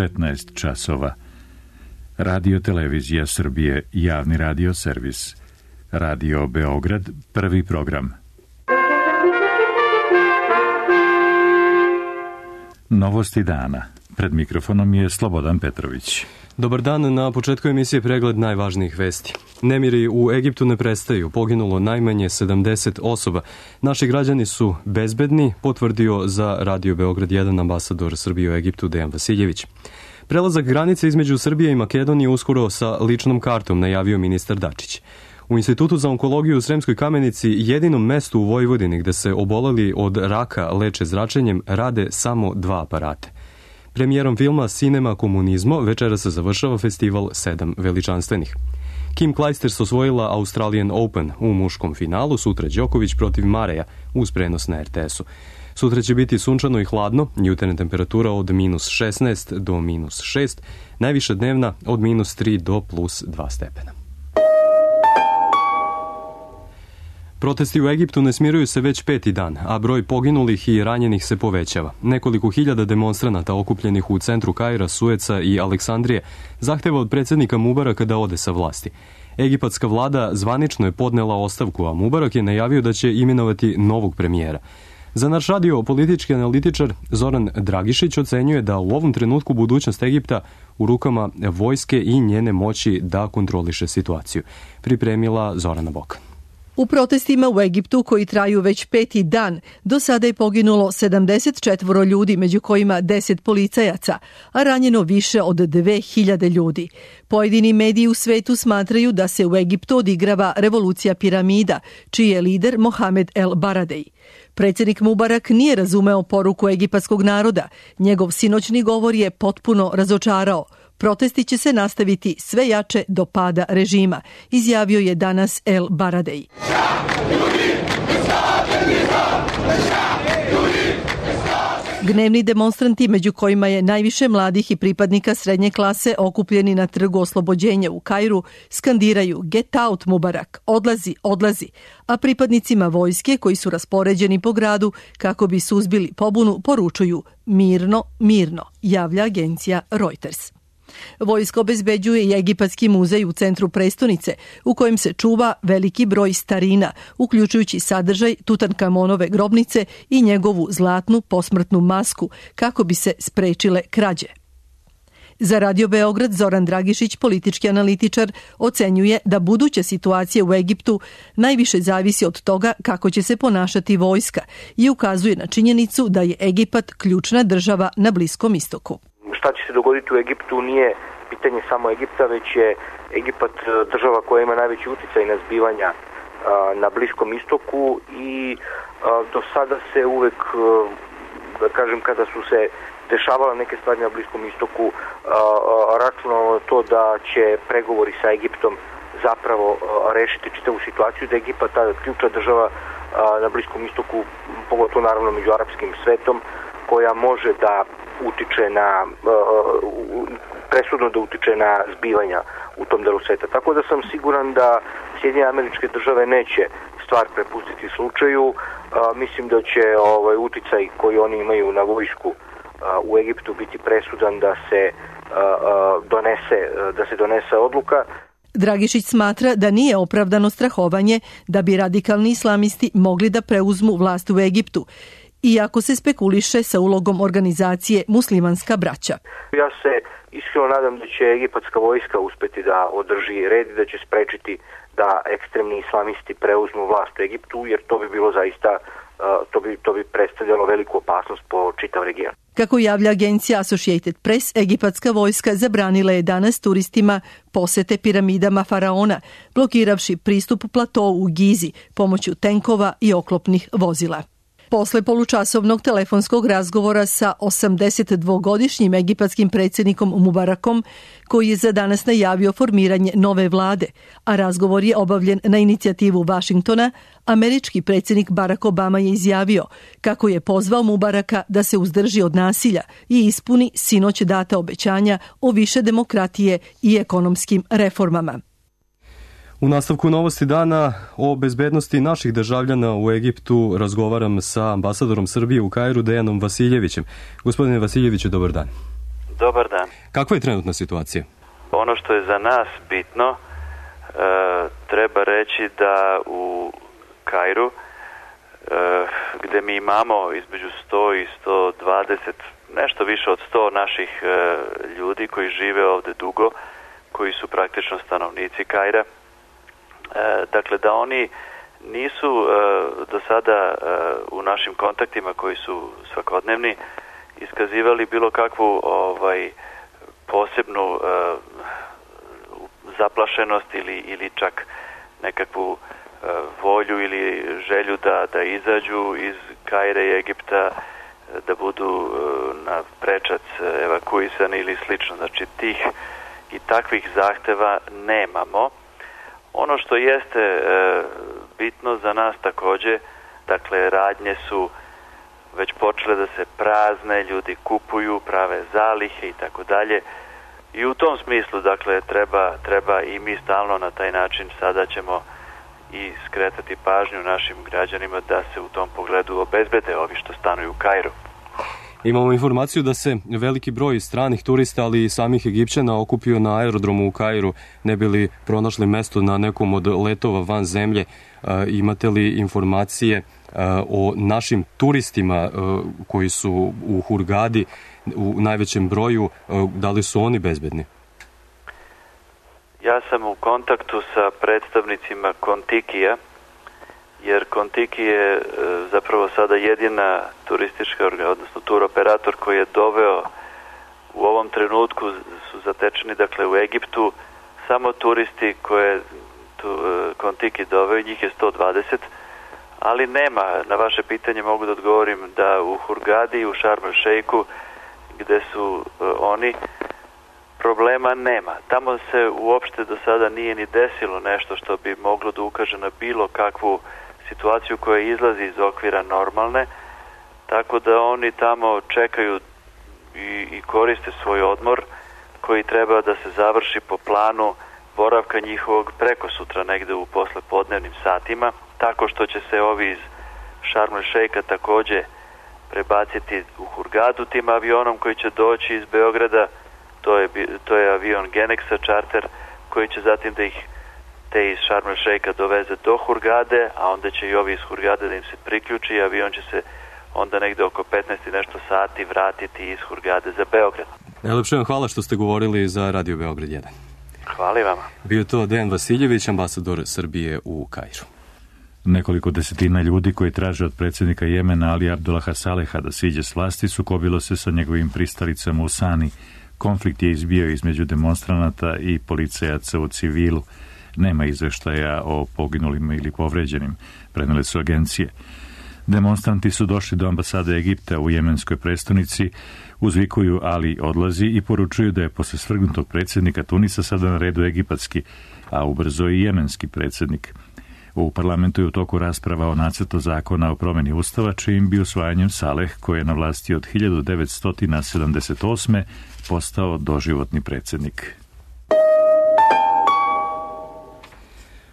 15 časova. Radio Televizija Srbije, javni radio servis. Radio Beograd, prvi program. Novosti dana. Pred mikrofonom je Slobodan Petrović. Dobar dan, na početku emisije pregled najvažnijih vesti. Nemiri u Egiptu ne prestaju, poginulo najmanje 70 osoba. Naši građani su bezbedni, potvrdio za Radio Beograd 1 ambasador Srbije u Egiptu Dejan Vasiljević. Prelazak granice između Srbije i Makedonije uskoro sa ličnom kartom, najavio ministar Dačić. U Institutu za onkologiju u Sremskoj Kamenici, jedinom mestu u Vojvodini gde se oboleli od raka leče zračenjem, rade samo 2 aparata. Premijerom filma Cinema komunizmo večera se završava festival 7 veličanstvenih. Kim Clijsters osvojila Australian Open u muškom finalu, sutra Đoković protiv Mareja uz prenos na RTS-u. Sutra će biti sunčano i hladno, jutarnja temperatura od -16 do -6, najviša dnevna od -3 do +2 stepena. Protesti u Egiptu ne smiruju se već 5. dan, a broj poginulih i ranjenih se povećava. Nekoliko hiljada demonstranata okupljenih u centru Kaira, Sueca i Aleksandrije zahteva od predsjednika Mubaraka da ode sa vlasti. Egipatska vlada zvanično je podnela ostavku, a Mubarak je najavio da će imenovati novog premijera. Za naš radio politički analitičar Zoran Dragišić ocenjuje da u ovom trenutku budućnost Egipta u rukama vojske i njene moći da kontroliše situaciju. Pripremila Zorana Bokan. U protestima u Egiptu, koji traju već 5. dan, do sada je poginulo 74 ljudi, među kojima 10 policajaca, a ranjeno više od 2000 ljudi. Pojedini mediji u svetu smatraju da se u Egiptu odigrava revolucija piramida, čiji je lider Mohamed El Baradei. Predsjednik Mubarak nije razumeo poruku egipatskog naroda. Njegov sinoćni govor je potpuno razočarao. Protesti će se nastaviti sve jače do pada režima, izjavio je danas El Baradei. Gnevni demonstranti, među kojima je najviše mladih i pripadnika srednje klase okupljeni na Trgu oslobođenja u Kairu, skandiraju "Get out Mubarak, odlazi, odlazi", a pripadnicima vojske koji su raspoređeni po gradu kako bi suzbili pobunu poručuju "Mirno, mirno", javlja agencija Reuters. Vojska obezbeđuje i Egipatski muzej u centru prestonice, u kojem se čuva veliki broj starina, uključujući sadržaj Tutankamonove grobnice i njegovu zlatnu posmrtnu masku, kako bi se sprečile krađe. Za Radio Beograd Zoran Dragišić, politički analitičar, ocenjuje da buduća situacija u Egiptu najviše zavisi od toga kako će se ponašati vojska i ukazuje na činjenicu da je Egipat ključna država na Bliskom istoku. Šta će se dogoditi u Egiptu nije pitanje samo Egipta, već je Egipat država koja ima najveći uticaj na zbivanja na Bliskom istoku i do sada se uvek, da kažem, kada su se dešavale neke stvari na Bliskom istoku, računalo to da će pregovori sa Egiptom zapravo rešiti čitavu situaciju, da je Egipat ta ključna država na Bliskom istoku, pogotovo naravno među arapskim svetom, koja može da utiče na, presudno da utiče na zbivanja u tom delu sveta. Tako da sam siguran da Sjedinjene Američke Države neće stvar prepustiti slučaju. Mislim da će uticaj koji oni imaju na vojsku u Egiptu biti presudan da se donese odluka. Dragišić smatra da nije opravdano strahovanje da bi radikalni islamisti mogli da preuzmu vlast u Egiptu, iako se spekuliše sa ulogom organizacije Muslimanska braća. Ja se iskreno nadam da će egipatska vojska uspeti da održi red i da će sprečiti da ekstremni islamisti preuzmu vlast u Egiptu, jer to bi bilo zaista, to bi predstavljalo veliku opasnost po čitav region. Kako javlja agencija Associated Press, egipatska vojska zabranila je danas turistima posete piramidama faraona, blokiravši pristup platovu u Gizi pomoću tenkova i oklopnih vozila. Posle polučasovnog telefonskog razgovora sa 82-godišnjim egipatskim predsjednikom Mubarakom, koji je za danas najavio formiranje nove vlade, a razgovor je obavljen na inicijativu Vašingtona, američki predsjednik Barack Obama je izjavio kako je pozvao Mubaraka da se uzdrži od nasilja i ispuni sinoć data obećanja o više demokratije i ekonomskim reformama. U nastavku novosti dana o bezbednosti naših državljana u Egiptu razgovaram sa ambasadorom Srbije u Kairu Dejanom Vasiljevićem. Gospodine Vasiljeviću, dobar dan. Dobar dan. Kakva je trenutna situacija? Ono što je za nas bitno, treba reći da u Kairu, gde mi imamo između 100 i 120, nešto više od 100 naših ljudi koji žive ovde dugo, koji su praktično stanovnici Kaira, dakle da oni nisu do sada u našim kontaktima koji su svakodnevni iskazivali bilo kakvu posebnu zaplašenost ili čak nekakvu volju ili želju da izađu iz Kaira i Egipta, da budu na prečac evakuisani ili slično. Znači tih i takvih zahteva nemamo. Ono što jeste bitno za nas takođe, dakle radnje su već počele da se prazne, ljudi kupuju, prave zalihe i tako dalje. I u tom smislu, dakle, treba i mi stalno na taj način sada ćemo i skretati pažnju našim građanima da se u tom pogledu obezbede ovi što stanuju u Kairu. Imamo informaciju da se veliki broj stranih turista, ali i samih Egipćana okupio na aerodromu u Kairu, ne bi li pronašli mesto na nekom od letova van zemlje. Imate li informacije o našim turistima koji su u Hurgadi u najvećem broju, da li su oni bezbedni? Ja sam u kontaktu sa predstavnicima Kontikija, jer Kontiki je zapravo sada jedina turistička, odnosno tur operator koji je doveo u ovom trenutku su zatečeni, dakle u Egiptu, samo turisti koje Kontiki doveo, njih je 120, ali nema, na vaše pitanje mogu da odgovorim da u Hurgadi i u Sharm el Sheikhu, gde su oni, problema nema. Tamo se uopšte do sada nije ni desilo nešto što bi moglo da ukaže na bilo kakvu situaciju koja izlazi iz okvira normalne, tako da oni tamo čekaju i koriste svoj odmor koji treba da se završi po planu boravka njihovog preko sutra negde u poslepodnevnim satima, tako što će se ovi iz Sharm el Sheikha takođe prebaciti u Hurgadu tim avionom koji će doći iz Beograda, to je avion Genexa charter koji će zatim da ih te iz Sharm el Sheikha doveze do Hurgade, a onda će i ovi iz Hurgade da im se priključi i avion će se onda negde oko 15 i nešto sati vratiti iz Hurgade za Beograd. Najlepše vam hvala što ste govorili za Radio Beograd 1. Hvala i vama. Bio to Dejan Vasiljević, ambasador Srbije u Kairu. Nekoliko desetina ljudi koji traže od predsjednika Jemena Ali Abdullaha Saleha da siđe s vlasti sukobilo se sa njegovim pristalicama u Sani. Konflikt je izbio između demonstranata i policajaca u civilu. Nema izveštaja o poginulim ili povređenim, prenele su agencije. Demonstranti su došli do ambasade Egipta u jemenskoj prestonici, uzvikuju Ali odlazi i poručuju da je posle svrgnutog predsjednika Tunisa sada na redu egipatski, a ubrzo i jemenski predsjednik. U parlamentu je u toku rasprava o nacrtu zakona o promjeni ustava, čijim bi usvajanjem Saleh, koji je na vlasti od 1978. postao doživotni predsjednik.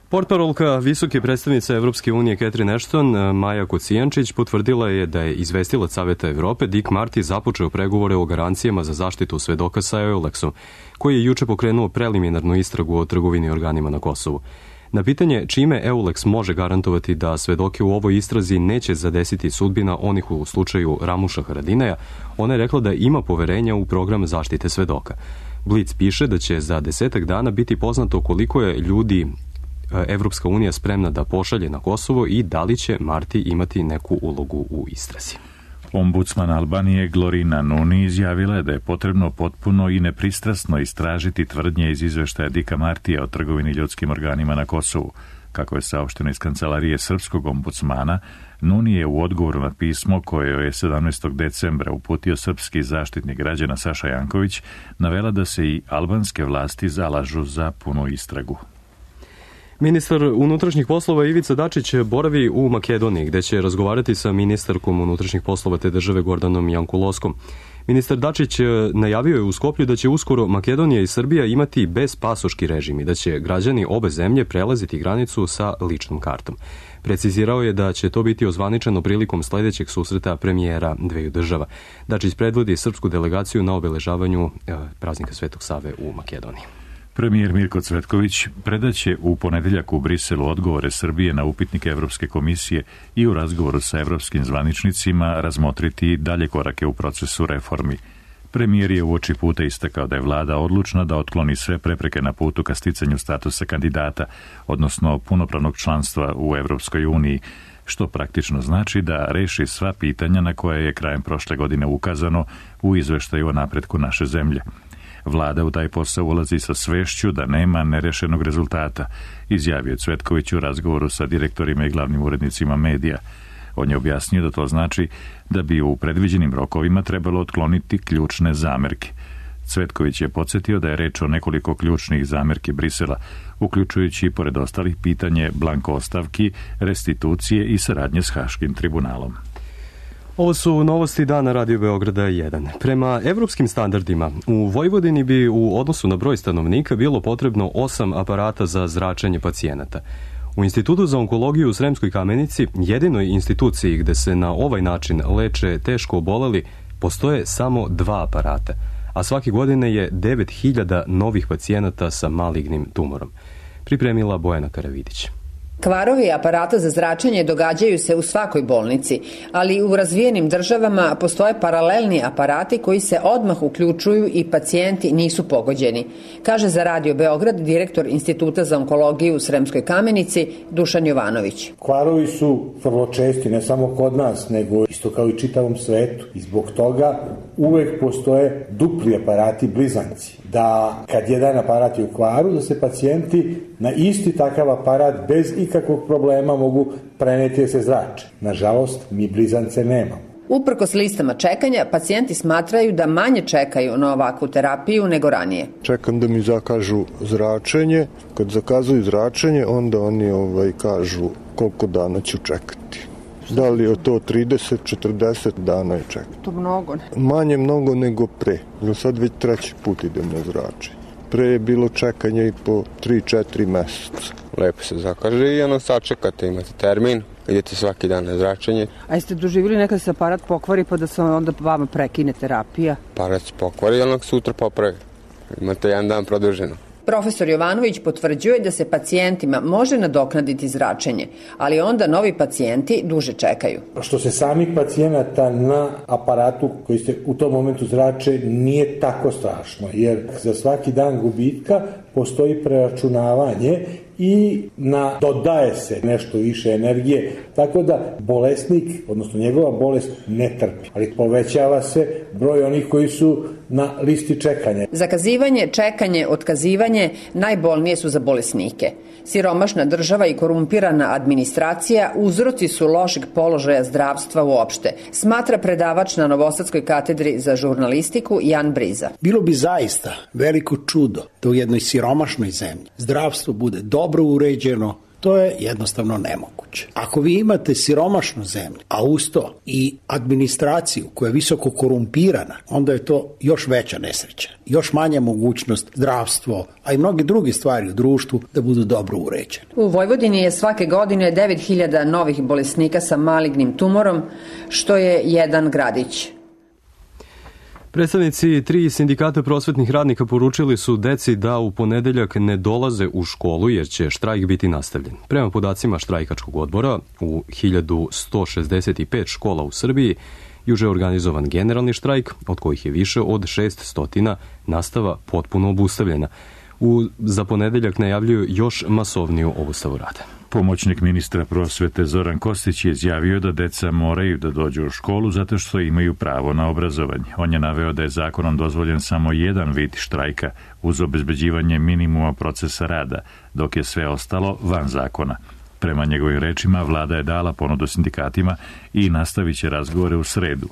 Portparolka visoke predstavnice Evropske unije Catherine Ashton, Maja Kocijančić, potvrdila je da je izvestilac Saveta Evrope Dick Marty započeo pregovore o garancijama za zaštitu svedoka sa EULEX-om, koji je juče pokrenuo preliminarnu istragu o trgovini organima na Kosovu. Na pitanje čime EULEX može garantovati da svedoke u ovoj istrazi neće zadesiti sudbina onih u slučaju Ramuša Haradinaja, ona je rekla da ima poverenja u program zaštite svedoka. Blic piše da će za 10 dana biti poznato koliko je ljudi Evropska unija spremna da pošalje na Kosovo i da li će Marti imati neku ulogu u istrazi. Ombudsman Albanije Glorina Nuni izjavila je da je potrebno potpuno i nepristrasno istražiti tvrdnje iz izveštaja Dika Martija o trgovini ljudskim organima na Kosovu. Kako je saopšteno iz kancelarije srpskog ombudsmana, Nuni je u odgovoru na pismo koje je 17. decembra uputio srpski zaštitnik građana Saša Janković navela da se i albanske vlasti zalažu za punu istragu. Ministar unutrašnjih poslova Ivica Dačić boravi u Makedoniji, gde će razgovarati sa ministarkom unutrašnjih poslova te države Gordanom Jankuloskom. Ministar Dačić najavio je u Skoplju da će uskoro Makedonija i Srbija imati bezpasoški režim i da će građani obe zemlje prelaziti granicu sa ličnom kartom. Precizirao je da će to biti ozvaničeno prilikom sledećeg susreta premijera dveju država. Dačić predvodi srpsku delegaciju na obeležavanju praznika Svetog Save u Makedoniji. Premijer Mirko Cvetković predaće u ponedeljak u Briselu odgovore Srbije na upitnike Evropske komisije i u razgovoru sa evropskim zvaničnicima razmotriti dalje korake u procesu reformi. Premijer je uoči puta istakao da je vlada odlučna da otkloni sve prepreke na putu ka sticanju statusa kandidata, odnosno punopravnog članstva u Evropskoj uniji, što praktično znači da reši sva pitanja na koje je krajem prošle godine ukazano u izveštaju o napretku naše zemlje. Vlada u taj posao ulazi sa svešću da nema nerešenog rezultata, izjavio Cvetković u razgovoru sa direktorima i glavnim urednicima medija. On je objasnio da to znači da bi u predviđenim rokovima trebalo otkloniti ključne zamerke. Cvetković je podsjetio da je reč o nekoliko ključnih zamerki Brisela, uključujući pored ostalih pitanje blanko ostavki, restitucije i saradnje s Haškim tribunalom. Ovo su novosti dana Radio Beograda 1. Prema evropskim standardima, u Vojvodini bi u odnosu na broj stanovnika bilo potrebno 8 aparata za zračenje pacijenata. U Institutu za onkologiju u Sremskoj Kamenici, jedinoj instituciji gde se na ovaj način leče teško oboleli, postoje samo 2 aparata, a svake godine je 9000 novih pacijenata sa malignim tumorom. Pripremila Bojana Karavidić. Kvarovi aparata za zračenje događaju se u svakoj bolnici, ali u razvijenim državama postoje paralelni aparati koji se odmah uključuju i pacijenti nisu pogođeni, kaže za Radio Beograd direktor Instituta za onkologiju u Sremskoj Kamenici Dušan Jovanović. Kvarovi su vrlo česti, ne samo kod nas, nego isto kao i čitavom svetu. I zbog toga uvek postoje dupli aparati blizanci. Da kad jedan aparat je u kvaru, da se pacijenti na isti takav aparat bez ikakvog problema mogu preneti da se zrače. Nažalost, mi blizance nemamo. Uprkos listama čekanja, pacijenti smatraju da manje čekaju na ovakvu terapiju nego ranije. Čekam da mi zakažu zračenje. Kad zakazuju zračenje, onda oni kažu koliko dana ću čekati. Da li je to 30-40 dana je čekati. To mnogo, ne? Manje mnogo nego pre. Sad već 3. put idem na zračenje. Pre je bilo čekanje i po 3-4 meseca. Lepo se zakaže i ono sačekate, imate termin, idete svaki dan na zračenje. A jeste doživjeli nekad se aparat pokvari pa da se onda vama prekine terapija? Aparat se pokvari i onog sutra popravi. Imate jedan dan produženo. Profesor Jovanović potvrđuje da se pacijentima može nadoknaditi zračenje, ali onda novi pacijenti duže čekaju. Što se samih pacijenata na aparatu koji se u tom momentu zrače nije tako strašno, jer za svaki dan gubitka postoji preračunavanje i dodaje se nešto više energije, tako da bolesnik, odnosno njegova bolest ne trpi, ali povećava se broj onih koji su na listi čekanja. Zakazivanje, čekanje, otkazivanje najbolnije su za bolesnike. Siromašna država i korumpirana administracija uzroci su lošeg položaja zdravstva uopšte, smatra predavač na Novosadskoj katedri za žurnalistiku Jan Briza. Bilo bi zaista veliko čudo da u jednoj siromašnoj zemlji zdravstvo bude dobro uređeno. To je jednostavno nemoguće. Ako vi imate siromašnu zemlju, a uz to i administraciju koja je visoko korumpirana, onda je to još veća nesreća. Još manja mogućnost zdravstvo, a i mnoge druge stvari u društvu da budu dobro uređene. U Vojvodini je svake godine 9000 novih bolesnika sa malignim tumorom, što je jedan gradić. Predstavnici 3 sindikata prosvetnih radnika poručili su deci da u ponedeljak ne dolaze u školu jer će štrajk biti nastavljen. Prema podacima štrajkačkog odbora, u 1165 škola u Srbiji juče je organizovan generalni štrajk, od kojih je više od 600 nastava potpuno obustavljena. Za ponedeljak najavljuju još masovniju obustavu rada. Pomoćnik ministra prosvete Zoran Kostić je izjavio da deca moraju da dođu u školu zato što imaju pravo na obrazovanje. On je naveo da je zakonom dozvoljen samo jedan vid štrajka uz obezbeđivanje minimuma procesa rada, dok je sve ostalo van zakona. Prema njegovim rečima, vlada je dala ponudu sindikatima i nastavit će razgovore u sredu.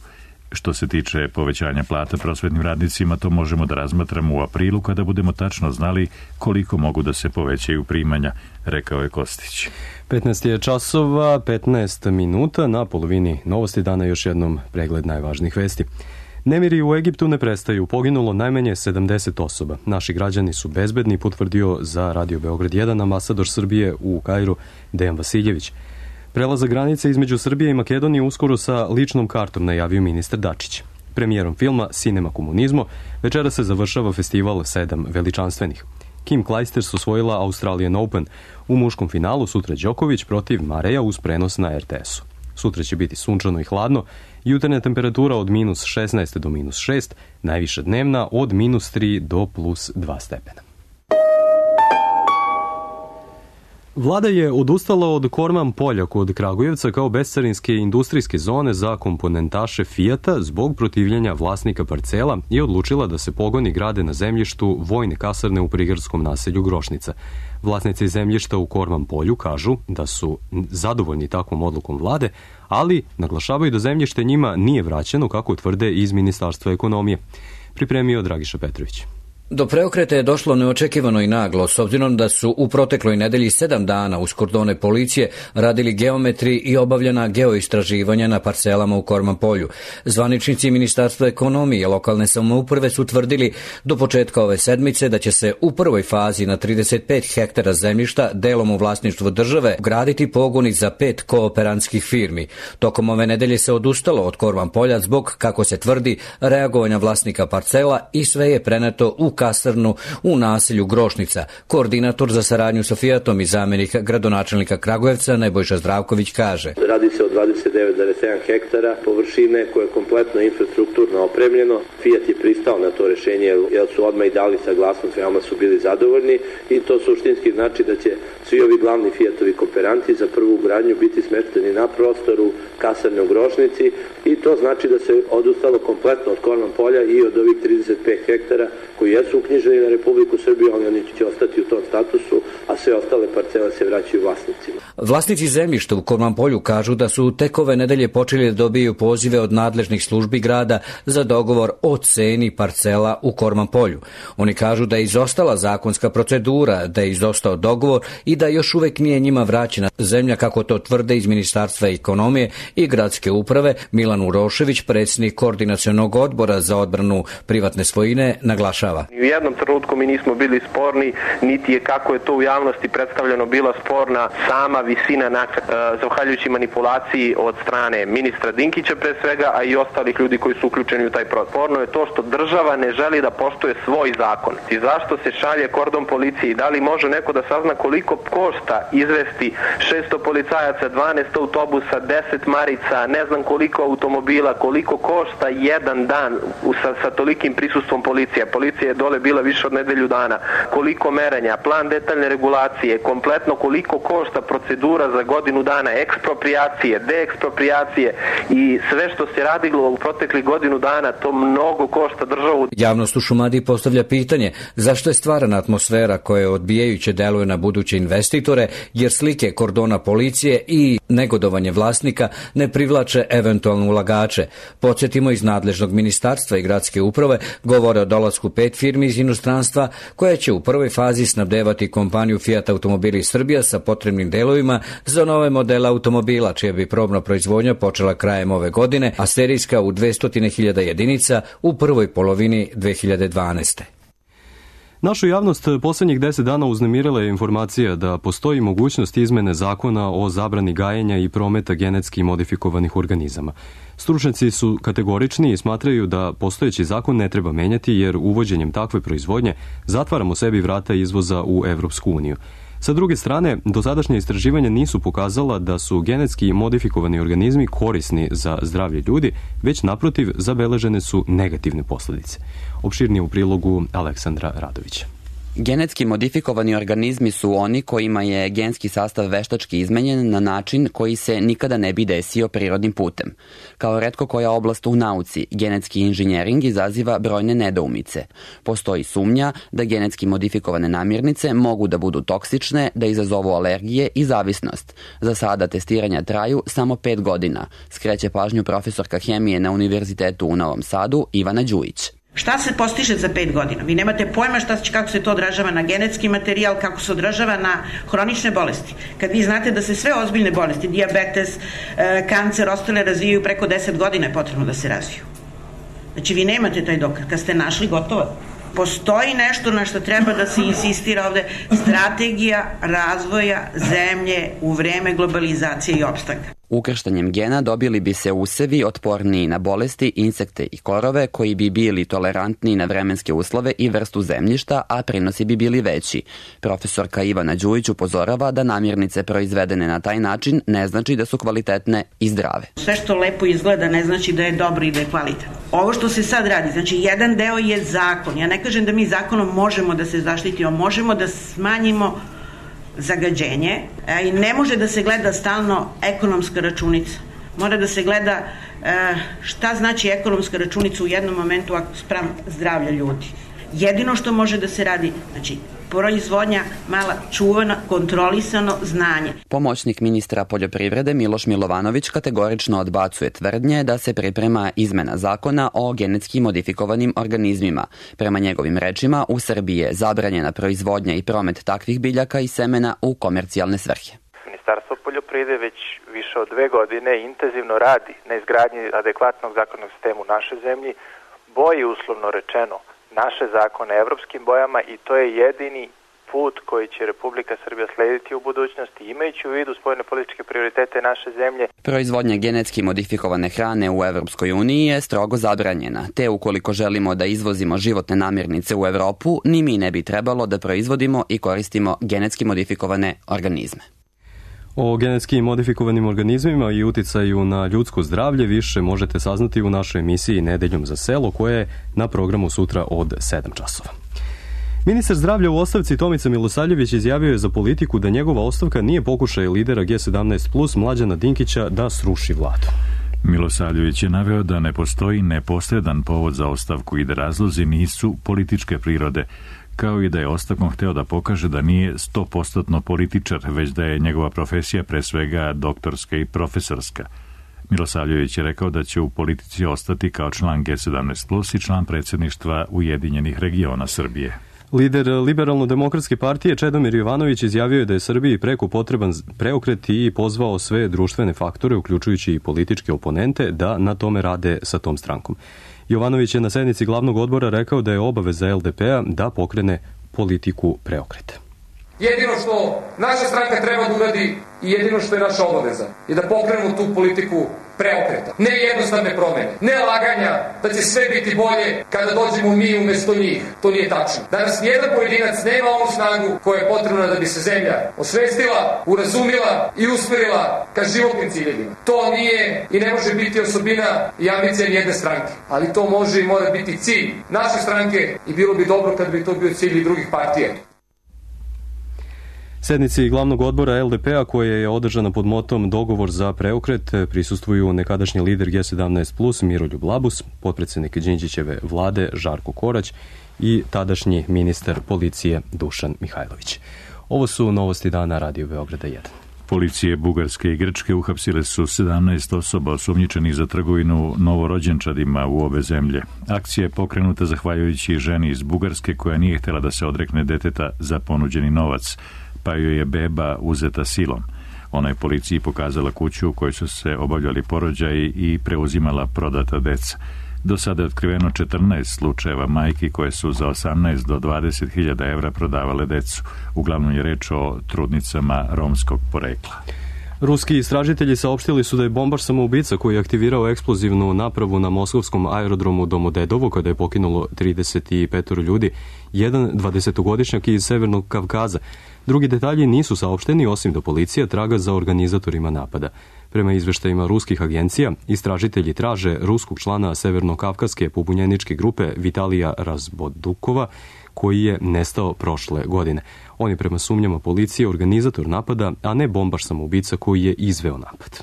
Što se tiče povećanja plata prosvetnim radnicima, to možemo da razmatramo u aprilu kada budemo tačno znali koliko mogu da se povećaju primanja, rekao je Kostić. 15 je časova, 15 minuta, na polovini Novosti dana još jednom pregled najvažnijih vesti. Nemiri u Egiptu ne prestaju, poginulo najmanje 70 osoba. Naši građani su bezbedni, potvrdio za Radio Beograd 1 ambasador Srbije u Kairu Dejan Vasiljević. Prelazak granice između Srbije i Makedonije uskoro sa ličnom kartom, najavio ministar Dačić. Premijerom filma Cinema komunizmo večera se završava festival 7 veličanstvenih. Kim Clijsters osvojila Australian Open. U muškom finalu sutra Đoković protiv Mareja uz prenos na RTS-u. Sutra će biti sunčano i hladno, jutarnja temperatura od minus 16 do minus 6, najviša dnevna od minus 3 do plus 2 stepena. Vlada je odustala od Korman polja kod Kragujevca kao bescarinske industrijske zone za komponentaše Fijata zbog protivljenja vlasnika parcela i odlučila da se pogoni grade na zemljištu vojne kasarne u prigradskom naselju Grošnica. Vlasnici zemljišta u Korman polju kažu da su zadovoljni takvom odlukom vlade, ali naglašavaju da zemljište njima nije vraćeno, kako tvrde iz Ministarstva ekonomije. Pripremio Dragiša Petrović. Do preokreta je došlo neočekivano i naglo, s obzirom da su u protekloj nedelji 7 dana uz kordone policije radili geometri i obavljena geoistraživanja na parcelama u Korman polju. Zvaničnici Ministarstva ekonomije i lokalne samouprave su tvrdili do početka ove sedmice da će se u prvoj fazi na 35 hektara zemljišta delom u vlasništvu države graditi pogoni za 5 kooperantskih firmi. Tokom ove nedelje se odustalo od Korman polja zbog, kako se tvrdi, reagovanja vlasnika parcela i sve je preneto u kasarnu u naselju Grošnica. Koordinator za saradnju sa Fijatom i zamjenik gradonačelnika Kragujevca Nebojša Zdravković kaže: Radi se o 29,7 hektara površine koje je kompletno infrastrukturno opremljeno. Fijat je pristao na to rešenje jer su odmah i dali saglasnost, veoma su bili zadovoljni i to suštinski znači da će svi ovi glavni Fijatovi kooperanti za prvu gradnju biti smešteni na prostoru kasarne u Grošnici i to znači da se odustalo kompletno od Korman polja i od ovih 35 hektara koji jesu uknjiženi na Republiku Srbiju, ali oni će ostati u tom statusu, a sve ostale parcele se vraćaju vlasnicima. Vlasnici zemljišta u Korman polju kažu da su tek ove nedelje počeli da dobiju pozive od nadležnih službi grada za dogovor o ceni parcela u Korman polju. Oni kažu da je izostala zakonska procedura, da je izostao dogovor i da još uvek nije njima vraćena zemlja, kako to tvrde iz Ministarstva ekonomije i gradske uprave. Milan Urošević, predsjednik koordinacionog odbora za odbranu privatne svojine, naglašava: U jednom trenutku mi nismo bili sporni, niti je, kako je to u javnosti predstavljeno, bila sporna sama visina naknade, zahvaljujući manipulaciji od strane ministra Dinkića pre svega, a i ostalih ljudi koji su uključeni u taj proces. Sporno je to što država ne želi da poštuje svoj zakon. I zašto se šalje kordon policije i da li može neko da sazna koliko košta izvesti 600 policajaca, 12 autobusa, 10 marica, ne znam koliko automobila, koliko košta jedan dan sa tolikim prisustvom policije. Policija je dole bila više od nedelju dana. Koliko merenja, plan detaljne regulacije, kompletno koliko košta procedura za godinu dana, ekspropriacije, deekspropriacije i sve što se radilo u proteklih godinu dana, to mnogo košta državu. Javnost u Šumadiji postavlja pitanje zašto je stvarana atmosfera koja odbijajuće deluje na buduće investitore, jer slike kordona policije i negodovanje vlasnika ne privlače eventualno ulagače. Podsjetimo, iz nadležnog ministarstva i gradske uprave govore o dolasku 5 firmi iz inostranstva koje će u prvoj fazi snabdevati kompaniju Fiat Automobili Srbija sa potrebnim delovima za nove modele automobila, čija bi probna proizvodnja počela krajem ove godine, a serijska u 200.000 jedinica u prvoj polovini 2012. Našu javnost poslednjih 10 dana uznemirila je informacija da postoji mogućnost izmene zakona o zabrani gajenja i prometa genetski modifikovanih organizama. Stručnjaci su kategorični i smatraju da postojeći zakon ne treba menjati, jer uvođenjem takve proizvodnje zatvaramo sebi vrata izvoza u Evropsku uniju. Sa druge strane, dosadašnja istraživanja nisu pokazala da su genetski modifikovani organizmi korisni za zdravlje ljudi, već naprotiv zabeležene su negativne posledice. Opširnije u prilogu Aleksandra Radovića. Genetski modifikovani organizmi su oni kojima je genski sastav veštački izmenjen na način koji se nikada ne bi desio prirodnim putem. Kao retko koja oblast u nauci, genetski inženjering izaziva brojne nedoumice. Postoji sumnja da genetski modifikovane namirnice mogu da budu toksične, da izazovu alergije i zavisnost. Za sada testiranja traju samo 5 godina, skreće pažnju profesorka hemije na Univerzitetu u Novom Sadu Ivana Đujić. Šta se postiže za 5 godina? Vi nemate pojma kako se to odražava na genetski materijal, kako se odražava na hronične bolesti. Kad vi znate da se sve ozbiljne bolesti, dijabetes, kancer, ostale razvijaju preko 10 godina je potrebno da se razviju. Znači vi nemate taj dokaz. Kad ste našli, gotovo. Postoji nešto na što treba da se insistira ovde, strategija razvoja zemlje u vreme globalizacije i opstanka. Ukrštanjem gena dobili bi se usevi otporniji na bolesti, insekte i korove koji bi bili tolerantniji na vremenske uslove i vrstu zemljišta, a prinosi bi bili veći. Profesorka Ivana Đujić upozorava da namirnice proizvedene na taj način ne znači da su kvalitetne i zdrave. Sve što lepo izgleda ne znači da je dobro i da je kvalitetno. Ovo što se sad radi, znači jedan deo je zakon. Ja ne kažem da mi zakonom možemo da se zaštitimo, možemo da smanjimo zagađenje i ne može da se gleda stalno ekonomska računica. Mora da se gleda šta znači ekonomska računica u jednom momentu spram zdravlja ljudi. Jedino što može da se radi, znači proizvodnja mala, čuvana, kontrolisano znanje. Pomoćnik ministra poljoprivrede Miloš Milovanović kategorično odbacuje tvrdnje da se priprema izmena zakona o genetski modifikovanim organizmima. Prema njegovim rečima, u Srbiji je zabranjena proizvodnja i promet takvih biljaka i semena u komercijalne svrhe. Ministarstvo poljoprivrede već više od 2 godine intenzivno radi na izgradnji adekvatnog zakonnog sistema u našoj zemlji, boji uslovno rečeno naše zakone evropskim bojama i to je jedini put koji će Republika Srbija slediti u budućnosti, imajući u vidu spoljnopolitičke prioritete naše zemlje. Proizvodnja genetski modifikovane hrane u Evropskoj uniji je strogo zabranjena, te ukoliko želimo da izvozimo životne namirnice u Evropu, ni mi ne bi trebalo da proizvodimo i koristimo genetski modifikovane organizme. O genetski modifikovanim organizmima i uticaju na ljudsko zdravlje više možete saznati u našoj emisiji Nedeljom za selo, koja je na programu sutra od 7 časova. Ministar zdravlja u ostavci Tomica Milosavljević izjavio je za Politiku da njegova ostavka nije pokušaj lidera G17+ Mlađana Dinkića da sruši vladu. Milosavljević je naveo da ne postoji neposredan povod za ostavku i da razlozi nisu političke prirode, kao i da je ostavkom hteo da pokaže da nije 100% političar, već da je njegova profesija pre svega doktorska i profesorska. Milosavljević je rekao da će u politici ostati kao član G17+ i član predsjedništva Ujedinjenih regiona Srbije. Lider Liberalno-demokratske partije Čedomir Jovanović izjavio je da je Srbiji preko potreban preokret i pozvao sve društvene faktore, uključujući i političke oponente, da na tome rade sa tom strankom. Jovanović je na sednici glavnog odbora rekao da je obaveza LDP-a da pokrene politiku preokreta. Jedino što naša stranka treba da uradi i jedino što je naša obaveza je da pokrenemo tu politiku preokreta. Ne jednostavne promene, ne laganja da će sve biti bolje kada dođemo mi umjesto njih. To nije tačno. Danas nijedan pojedinac nema onu snagu koja je potrebna da bi se zemlja osvestila, urazumila i usmerila ka životnim ciljevima. To nije i ne može biti osobina i ambicija jedne stranke, ali to može i mora biti cilj naše stranke i bilo bi dobro kad bi to bio cilj i drugih partija. Sednici glavnog odbora LDP-a, koja je održana pod motom Dogovor za preokret, prisustvuju nekadašnji lider G17+, Miroljub Labus, potpredsjednik Đinđićeve vlade Žarko Korać i tadašnji ministar policije Dušan Mihajlović. Ovo su novosti dana Radio Beograda 1. Policije Bugarske i Grčke uhapsile su 17 osoba osumnjičenih za trgovinu novorođenčadima u obe zemlje. Akcija je pokrenuta zahvaljujući ženi iz Bugarske koja nije htjela da se odrekne deteta za ponuđeni novac, pa joj je beba uzeta silom. Ona je policiji pokazala kuću u kojoj su se obavljali porođaji i preuzimala prodata deca. Do sada je otkriveno 14 slučajeva majki koje su za 18 do 20.000 evra prodavale decu. Uglavnom je reč o trudnicama romskog porekla. Ruski istražitelji saopštili su da je bombaš samoubica koji je aktivirao eksplozivnu napravu na moskovskom aerodromu Domodedovo, kada je pokinulo 35 ljudi, jedan 20-godišnjak iz Severnog Kavkaza. Drugi detalji nisu saopšteni, osim da policija traga za organizatorima napada. Prema izveštajima ruskih agencija, istražitelji traže ruskog člana severnokavkaske pobunjeničke grupe Vitalija Razbodukova, koji je nestao prošle godine. On je prema sumnjama policije organizator napada, a ne bombaš samoubica koji je izveo napad.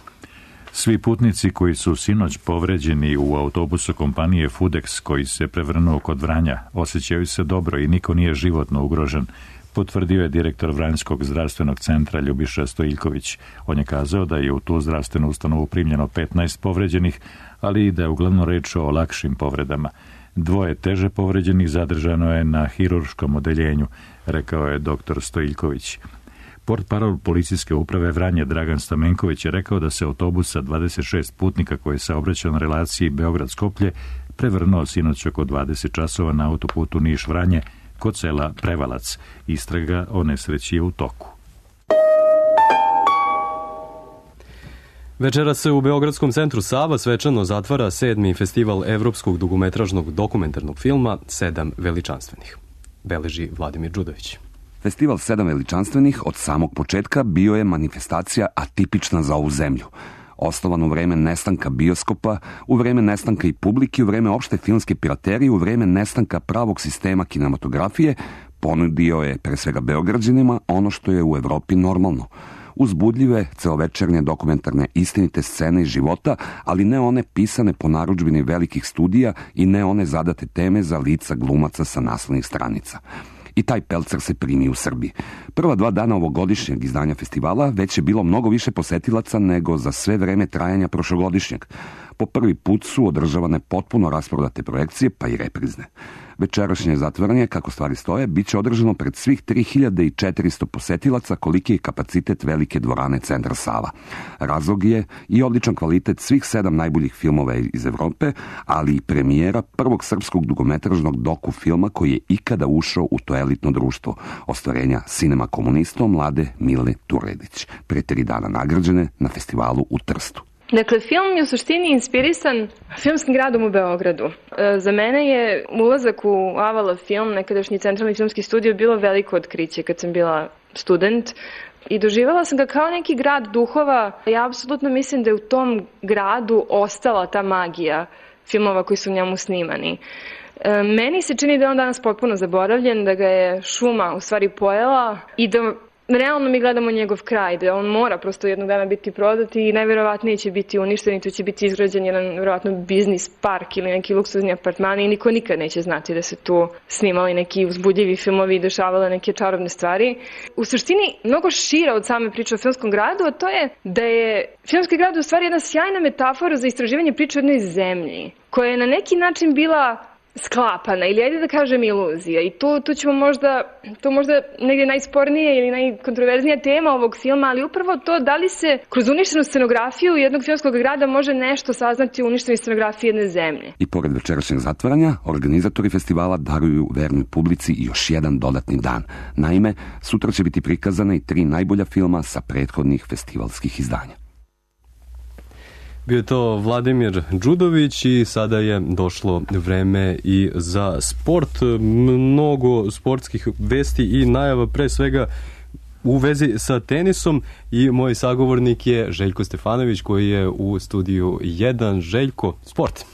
Svi putnici koji su sinoć povređeni u autobusu kompanije Fudex koji se prevrnuo kod Vranja osjećaju se dobro i niko nije životno ugrožen, potvrdio je direktor Vranjskog zdravstvenog centra Ljubiša Stojiljković. On je kazao da je u tu zdravstvenu ustanovu primljeno 15 povređenih, ali i da je uglavnom reč o lakšim povredama. 2 teže povređenih zadržano je na hirurškom odeljenju, rekao je dr. Stojiljković. Portparol policijske uprave Vranje Dragan Stamenković je rekao da se autobus sa 26 putnika koji se saobraćao na relaciji Beograd-Skoplje prevrnuo sinoć oko 20 časova na autoputu Niš-Vranje kod sela Prevalac. Istraga o nesreći je u toku. Večeras se u Beogradskom centru Sava svečano zatvara 7. festival evropskog dugometražnog dokumentarnog filma 7 veličanstvenih. Beleži Vladimir Đudović. Festival 7 veličanstvenih od samog početka bio je manifestacija atipična za ovu zemlju. Osnovan u vreme nestanka bioskopa, u vreme nestanka i publike, u vreme opšte filmske piraterije, u vreme nestanka pravog sistema kinematografije, ponudio je pre svega Beograđanima ono što je u Evropi normalno. Uzbudljive, celovečernje dokumentarne istinite scene iz života, ali ne one pisane po narudžbini velikih studija i ne one zadate teme za lica glumaca sa naslovnih stranica. I taj pelcer se primi u Srbiji. Prva 2 dana ovogodišnjeg izdanja festivala već je bilo mnogo više posetilaca nego za sve vreme trajanja prošlogodišnjeg. Po prvi put su održavane potpuno rasprodate projekcije, pa i reprizne. Večerašnje zatvaranje, kako stvari stoje, bit će održano pred svih 3400 posetilaca koliki je kapacitet velike dvorane Centra Sava. Razlog je i odličan kvalitet svih 7 najboljih filmova iz Evrope, ali i premijera prvog srpskog dugometražnog doku filma koji je ikada ušao u to elitno društvo, ostvarenja Cinema Komunisto mlade Mile Turedić, pre 3 dana nagrađene na festivalu u Trstu. Dakle, film je u suštini inspirisan filmskim gradom u Beogradu. Za mene je ulazak u Avala film, nekadašnji centralni filmski studio, bilo veliko otkriće kad sam bila student i doživjela sam ga kao neki grad duhova. Ja apsolutno mislim da je u tom gradu ostala ta magija filmova koji su u njemu snimani. Meni se čini da je on danas potpuno zaboravljen, da ga je šuma u stvari pojela i da realno mi gledamo njegov kraj, da on mora prosto jednog dana biti prodat i najverovatnije će biti uništen i tu će biti izgrađen jedan verovatno biznis park ili neki luksuzni apartmani i niko nikad neće znati da se tu snimali neki uzbudljivi filmovi i dešavale neke čarobne stvari. U suštini, mnogo šira od same priče o filmskom gradu, a to je da je filmski grad u stvari jedna sjajna metafora za istraživanje priče o jednoj zemlji, koja je na neki način bila sklapana ili ajde da kažem iluzija i tu ćemo možda negdje najspornije ili najkontroverznija tema ovog filma, ali upravo to da li se kroz uništenu scenografiju jednog filmskog grada može nešto saznati o uništenoj scenografiji jedne zemlje. I pored večerašnjeg zatvaranja, organizatori festivala daruju vernoj publici još jedan dodatni dan. Naime, sutra će biti prikazane i 3 najbolja filma sa prethodnih festivalskih izdanja. Bio je to Vladimir Đudović i sada je došlo vreme i za sport. Mnogo sportskih vesti i najava pre svega u vezi sa tenisom i moj sagovornik je Željko Stefanović koji je u studiju 1. Željko, sport.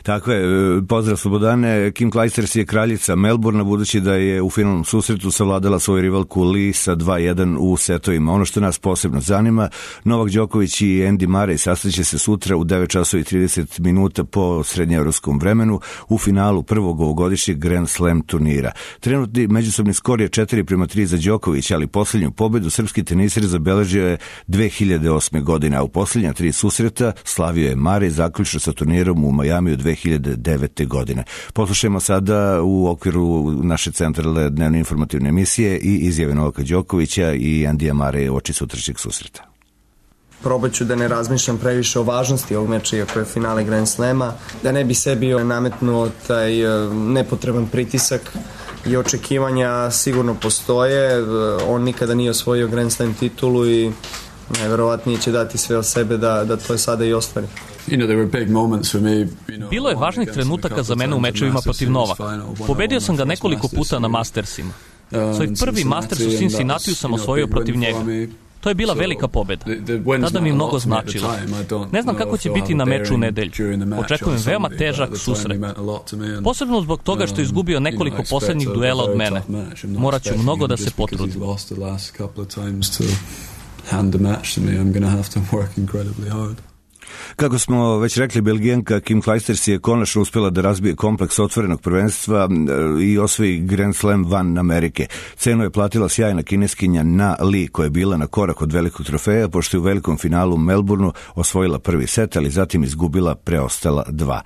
Tako je, pozdrav Slobodane. Kim Clijsters je kraljica Melbourna budući da je u finalnom susretu savladala svoju rivalku Li sa 2-1 u setovima. Ono što nas posebno zanima, Novak Đoković i Andy Murray sastaće se sutra u 9:30 po srednjeevropskom vremenu u finalu prvog ovogodišnjeg Grand Slam turnira. Trenutni međusobni skor je 4-3 za Đokovića, ali posljednju pobedu srpski teniser zabeležio je 2008. godine, a u posljednja 3 susreta slavio je Murray zaključno sa turnirom u Majamiju 2009. godine. Poslušajmo sada u okviru naše centralne dnevne informativne emisije i izjave Novaka Đokovića i Andija Murraya oči sutrašnjeg susreta. Probat ću da ne razmišljam previše o važnosti ovog meča, iako je finale Grand Slema, da ne bi sebi nametnuo taj nepotreban pritisak i očekivanja sigurno postoje. On nikada nije osvojio Grand Slam titulu i najverovatnije će dati sve od sebe da to sada i ostvari. Bilo je važnih trenutaka za mene u mečevima protiv Novaka. Pobedio sam ga nekoliko puta na Mastersima. Svoj prvi Masters u Cincinnatiju sam osvojio protiv njega. To je bila velika pobeda. Tada mi mnogo značilo. Ne znam kako će biti na meču u nedelju. Očekujem veoma težak susret. Posebno zbog toga što je izgubio nekoliko poslednjih duela od mene. Morat ću mnogo da se potrudim. Kako smo već rekli, Belgijanka Kim Clijsters je konačno uspjela da razbije kompleks otvorenog prvenstva i osvoji Grand Slam van Amerike. Cenu je platila sjajna kineskinja Na Li, koja je bila na korak od velikog trofeja, pošto je u velikom finalu u Melbourneu osvojila prvi set, ali zatim izgubila preostala dva.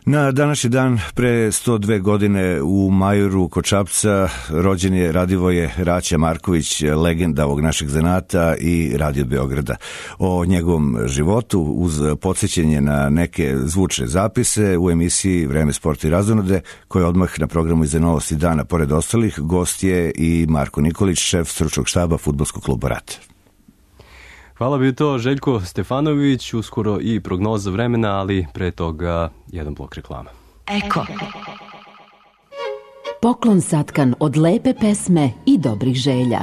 Na današnji dan pre 102 godine u Majoru kod Šapca rođen je Radivoje Raća Marković, legenda ovog našeg zanata i Radio Beograda. O njegovom životu uz podsjećanje na neke zvučne zapise u emisiji Vreme, sport i razonode, koja odmah na programu Iza novosti dana, pored ostalih, gost je i Marko Nikolić, šef stručnog štaba Fudbalskog kluba Rat. Hvala, bio to Željko Stefanović, uskoro i prognoza vremena, ali pre toga jedan blok reklama. Eko. Poklon satkan od lepe pesme i dobrih želja.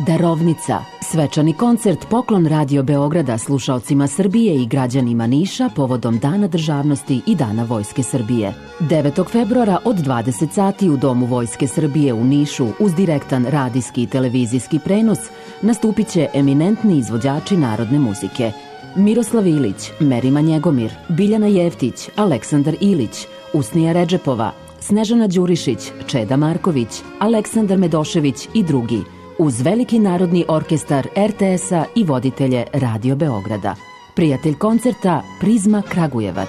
Darovnica. Svečani koncert Poklon Radio Beograda slušaocima Srbije i građanima Niša povodom Dana državnosti i Dana Vojske Srbije. 9. februara od 20 sati u Domu Vojske Srbije u Nišu uz direktan radijski i televizijski prenos nastupit će eminentni izvođači narodne muzike. Miroslav Ilić, Merima Njegomir, Biljana Jeftić, Aleksandar Ilić, Usnija Redžepova, Snežana Đurišić, Čeda Marković, Aleksandar Medošević i drugi, uz veliki narodni orkestar RTS-a i voditelje Radio Beograda. Prijatelj koncerta Prizma Kragujevac.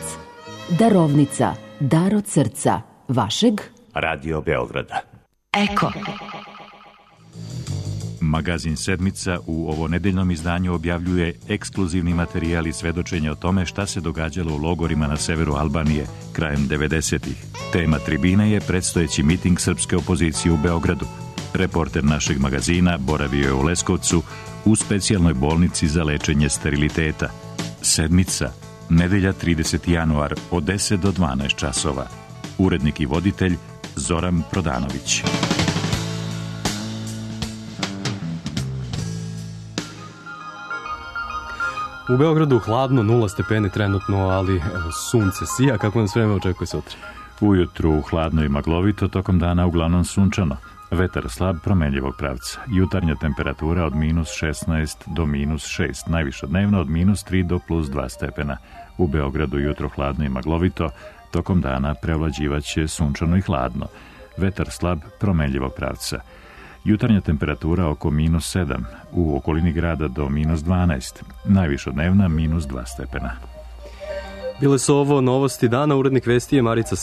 Darovnica, dar od srca, vašeg Radio Beograda. Eko. Magazin Sedmica u ovo nedeljnom izdanju objavljuje ekskluzivni materijal i svedočenje o tome šta se događalo u logorima na severu Albanije krajem 90-ih. Tema tribine je predstojeći miting srpske opozicije u Beogradu. Reporter našeg magazina boravio je u Leskovcu u specijalnoj bolnici za lečenje steriliteta. Sedmica, nedelja 30. januar od 10 do 12 časova. Urednik i voditelj Zoran Prodanović. U Beogradu hladno, 0 stepeni trenutno, ali evo, sunce sija. Kako nas vreme očekuje sutra? Ujutru hladno i maglovito, tokom dana uglavnom sunčano. Vetar slab, promenljivog pravca. Jutarnja temperatura od -16 do -6, najviša dnevna od -3 do +2 stepena. U Beogradu jutro hladno i maglovito, tokom dana prevlađivaće sunčano i hladno. Vetar slab, promenljivog pravca. Jutarnja temperatura oko -7, u okolini grada do -12, najviša dnevna -2 stepena. Bile su ovo novosti dana, urednik vesti je Marica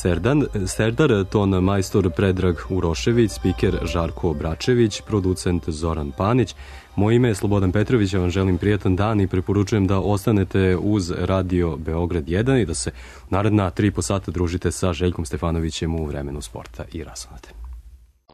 Serdar, ton majstor Predrag Urošević, spiker Žarko Bračević, producent Zoran Panić. Moje ime je Slobodan Petrović, ja vam želim prijatan dan i preporučujem da ostanete uz Radio Beograd 1 i da se naredna 3,5 sata družite sa Željkom Stefanovićem u Vremenu sporta i razonode.